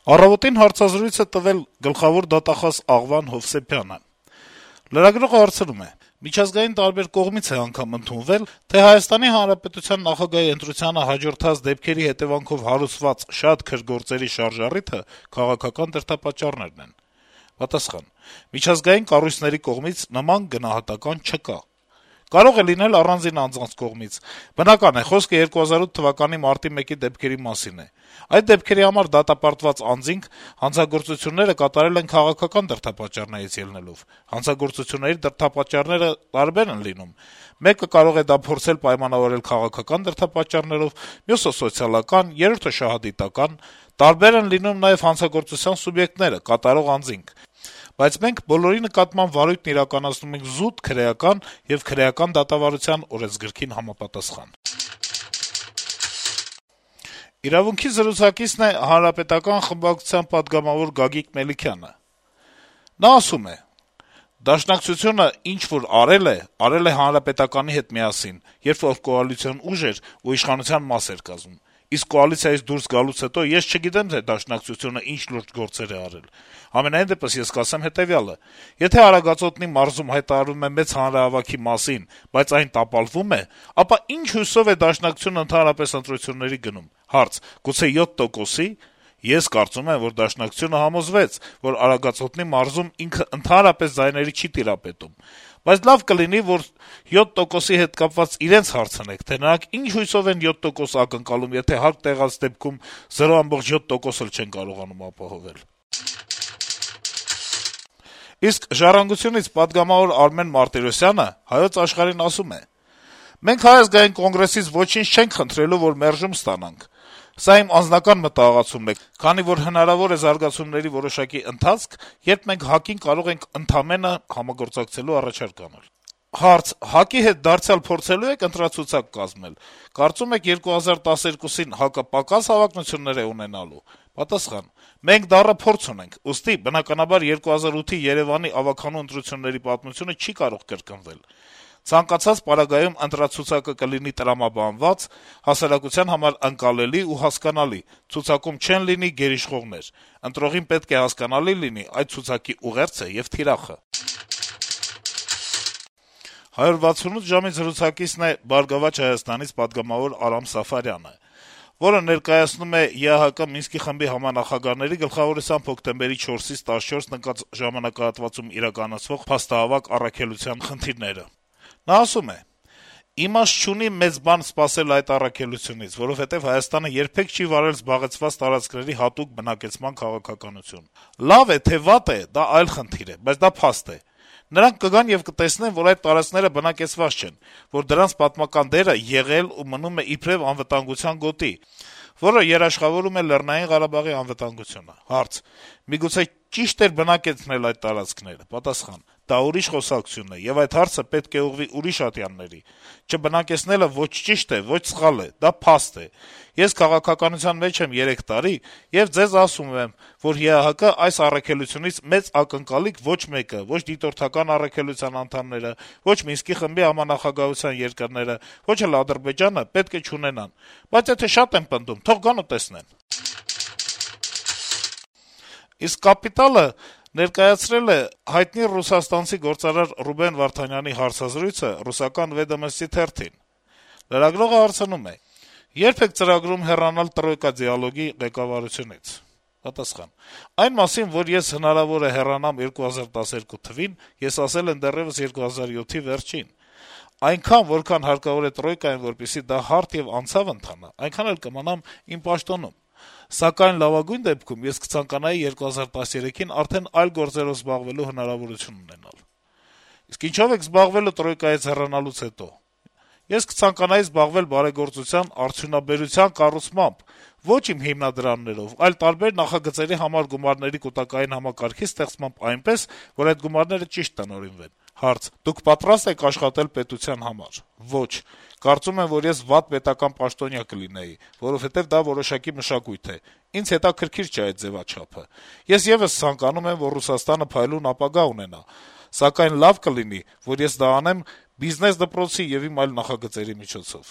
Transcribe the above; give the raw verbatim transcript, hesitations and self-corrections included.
Առավոտին հարցազրույց է տվել գլխավոր դատախազ Աղվան Հովսեփյանը: Լրագրողը հարցնում է. - «Միջազգային տարբեր կողմից է անգամ ընդունվել, թե Հայաստանի Հանրապետության նախագահի ընտրությանը հաջորդած դեպքերի հետեւանքով հարուցված շատ քրգործերի շարժառիթը քաղաքական դրդապատճառներն են»: Պատասխան. - «Միջազգային կառույցների կողմից նման գնահատական չկա: Կարող է լինել առանձին անձանց կողմից: Բնական է, խոսքը երկու հազար ութ թվականի մարտի մեկի դեպքերի մասին է: Այդ դեպքերի համար դատապարտված անձինք հանցագործությունները կատարել են քաղաքական դրդապատճառներից ելնելով: Հանցագործությունների դրդապատճառները տարբեր են լինում: Մեկը կարող է դա փորձել պայմանավորել քաղաքական դրդապատճառներով, մյուսը` սոցիալական, երրորդը` շահադիտական: Տարբեր են լինում նաեւ հանցագործության սուբյեկտները, կատարող անձինք: Բայց մենք բոլորի նկատմամբ վարույթն իրականացնում ենք զուտ քրեական եւ քրեական դատավարության օրենսգրքին համապատասխան»: «Իրավունք»-ի զրուցակիցն է Հանրապետական խմբակցության պատգամավոր Գագիկ Մելիքյանը: Նա ասում է. - «Դաշնակցությունը ինչ-որ արել է, արել է Հանրապետականի հետ միասին, երբ որ կոալիցիոն ուժ էր ու իշխանության մաս էր կազմում: Իսկ կոալիցիայից դուրս գալուց հետո ես չգիտեմ, թե Դաշնակցությունը ինչ լուրջ գործեր է արել: Համենայն դեպս ես կասեմ հետեւյալը. եթե Արագածոտնի մարզում հայտարարվում է մեծ հանրահավաքի մասին, բայց այն տապալվում է, ապա ինչ հույսով է Դաշնակցությունը ընդհանրապես ընտրությունների գնում: Հարց. գուցե յոթ տոկոսի՞: Ես կարծում եմ, որ Դաշնակցությունը համոզվեց, որ Արագածոտնի մարզում ինքը ընդհանրապես ձայների չի տիրապետում: Բայց լավ կլինի, որ յոթ տոկոսի հետ կապված իրենց հարցնեք, թե նրանք ինչ հույսով են յոթ տոկոս ակնկալում, եթե հարկ տեղած դեպքում զրո բացարձակ յոթ տոկոս էլ չեն կարողանում ապահովել»: Իսկ «Ժառանգություն»-ից պատգամավոր Արմեն Մարտիրոսյանը «Հայոց Աշխարհ»-ին ասում է. - «Մենք Հայ ազգային կոնգրեսից ոչինչ չենք խնդրելու, որ մերժում ստանանք: Սա իմ անձնական մտահղացումն է, քանի որ հնարավոր է զարգացումների որոշակի ընթացք, երբ մենք ՀԱԿ-ին կարող ենք ընդամենը համագործակցելու առաջարկ անել»: Հարց. - ՀԱԿ-ի հետ դարձյալ փորձելո՞ւ եք ընտրացուցակ կազմել: Կարծում եք երկու հազար տասներկուսին ՀԱԿ-ը պակաս հավակնություններ է ունենալու: Պատասխան. - «Մենք դառը փորձ ունենք, ուստի, բնականաբար, երկու հազար ութի Երեւանի ավագանու ընտրությունների պատմությունը չի կարող կրկնվել: Ցանկացած պարագայում ընտրացուցակը կլինի տրամաբանված, հասարակության համար ընկալելի ու հասկանալի, ցուցակում չեն լինի գերիշխողներ: Ընտրողին պետք է հասկանալի լինի այդ ցուցակի ուղերձը եւ թիրախը»: «հարյուր վաթսունութ ժամ»-ի զրուցակիցն է «Բարգավաճ Հայաստան»-ից պատգամավոր Արամ Սաֆարյանը, որը ներկայացնում է ԵԱՀԿ Մինսկի խմբի համանախագահների գլխավորությամբ հոկտեմբերի չորսից տասնչորս ընկած ժամանակահատվածում իրականացվող փաստահավաք առաքելության խնդիրները: Նա ասում է. - «Իմաստ չունի մեծ բան սպասել այդ առաքելությունից, որովհետեւ Հայաստանը երբեք չի վարել զբաղեցված տարածքների հատուկ բնակեցման քաղաքականություն: Լավ է, թե վատ է, դա այլ խնդիր է, բայց դա փաստ է: Նրանք կգան եւ կտեսնեն, որ այդ տարածքները բնակեցված չեն, որ դրանց պատմական դերը եղել ու մնում է իբրեւ անվտանգության գոտի, որը երաշխավորում է Լեռնային Ղարաբաղի անվտանգությունը»: Հարց. - «Միգուցե ճի՞շտ էր բնակեցնել այդ տարածքները»: Պատասխան. - «Դա ուրիշ խոսակցություն է, եւ այդ հարցը պետք է ուղղվի ուրիշ ատյանների: Չբնակեցնելը ոչ ճիշտ է, ոչ սխալ է, դա փաստ է: Ես քաղաքականության մեջ եմ երեք տարի եւ ձեզ ասում եմ, որ ԵԱՀԿ այս առաքելությունից մեծ ակնկալիք ոչ մեկը, ոչ դիտորդական առաքելության անդամները, ոչ Մինսկի խմբի համանախագահության երկրները, ոչ էլ Ադրբեջանը պետք է չունենան: Բայց եթե շատ են պնդում, թող գան ու տեսնեն»: Իսկ «Կապիտալ»-ը ներկայացրել է հայտնի ռուսաստանցի գործարար Ռուբեն Վարդանյանի հարցազրույցը ռուսական «Վեդոմստի» թերթին: Լրագրողը հարցնում է. - «Ե՞րբ եք ծրագրում հեռանալ «Տրոյկա» դիալոգի ղեկավարությունից»: Պատասխան. - «Այն մասին, որ ես հնարավոր է հեռանամ երկու հազար տասներկու թվին, ես ասել եմ դեռեւս երկու հազար յոթի վերջին: Այնքան, որքան հարկավոր է «Տրոյկային», որպեսզի դա հարթ եւ անցավ ընթանա, այնքան էլ կմնամ իմ պաշտոնում: Սակայն լավագույն դեպքում ես կցանկանայի երկու հազար տասներեքին արդեն այլ գործերով զբաղվելու հնարավորություն ունենալ»: Իսկ ինչո՞վ եք զբաղվելու «Տրոյկայից» հեռանալուց հետո: Ես կցանկանայի զբաղվել բարեգործության, արդյունաբերության կառուցմամբ, ոչ իմ հիմնադրամներով, այլ տարբեր նախագծերի համար գումարների կուտակային համակարգի ստեղծմամբ այնպես, որ այդ գումարները ճիշտ տնօրինվեն: Հարց. Դուք պատրաստ եք աշխատել պետության համար: Ոչ: Կարծում եմ, որ ես վատ պետական պաշտոնյա կլինեի, որովհետեւ դա որոշակի մշակույթ է: Ինձ հետաքրքիր չէ այդ ձեւաչափը: Ես եւս ցանկանում եմ, որ Ռուսաստանը փայլուն ապագա ունենա: Սակայն լավ կլինի, որ ես դա անեմ բիզնես դպրոցի եւ իմ այլ նախագծերի միջոցով»: